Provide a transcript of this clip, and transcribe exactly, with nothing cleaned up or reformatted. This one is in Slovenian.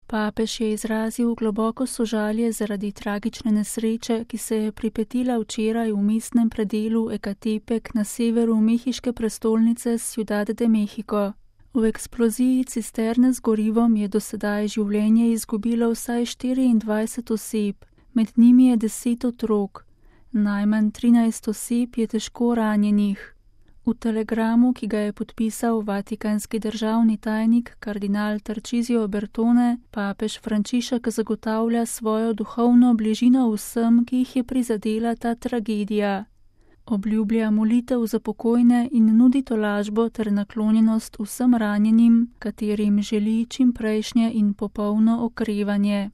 Papež je izrazil globoko sožalje zaradi tragične nesreče, ki se je pripetila včeraj v mestnem predelu Ecatepec na severu mehiške prestolnice Ciudad de México. V eksploziji cisterne z gorivom je do sedaj življenje izgubilo vsaj štiriindvajset oseb, med njimi je deset otrok. Najmanj trinajst oseb je težko ranjenih. V telegramu, ki ga je podpisal vatikanski državni tajnik kardinal Tarcisio Bertone, papež Frančišek zagotavlja svojo duhovno bližino vsem, ki jih je prizadela ta tragedija. Obljublja molitev za pokojne in nudi tolažbo ter naklonjenost vsem ranjenim, katerim želi čimprejšnje in popolno okrevanje.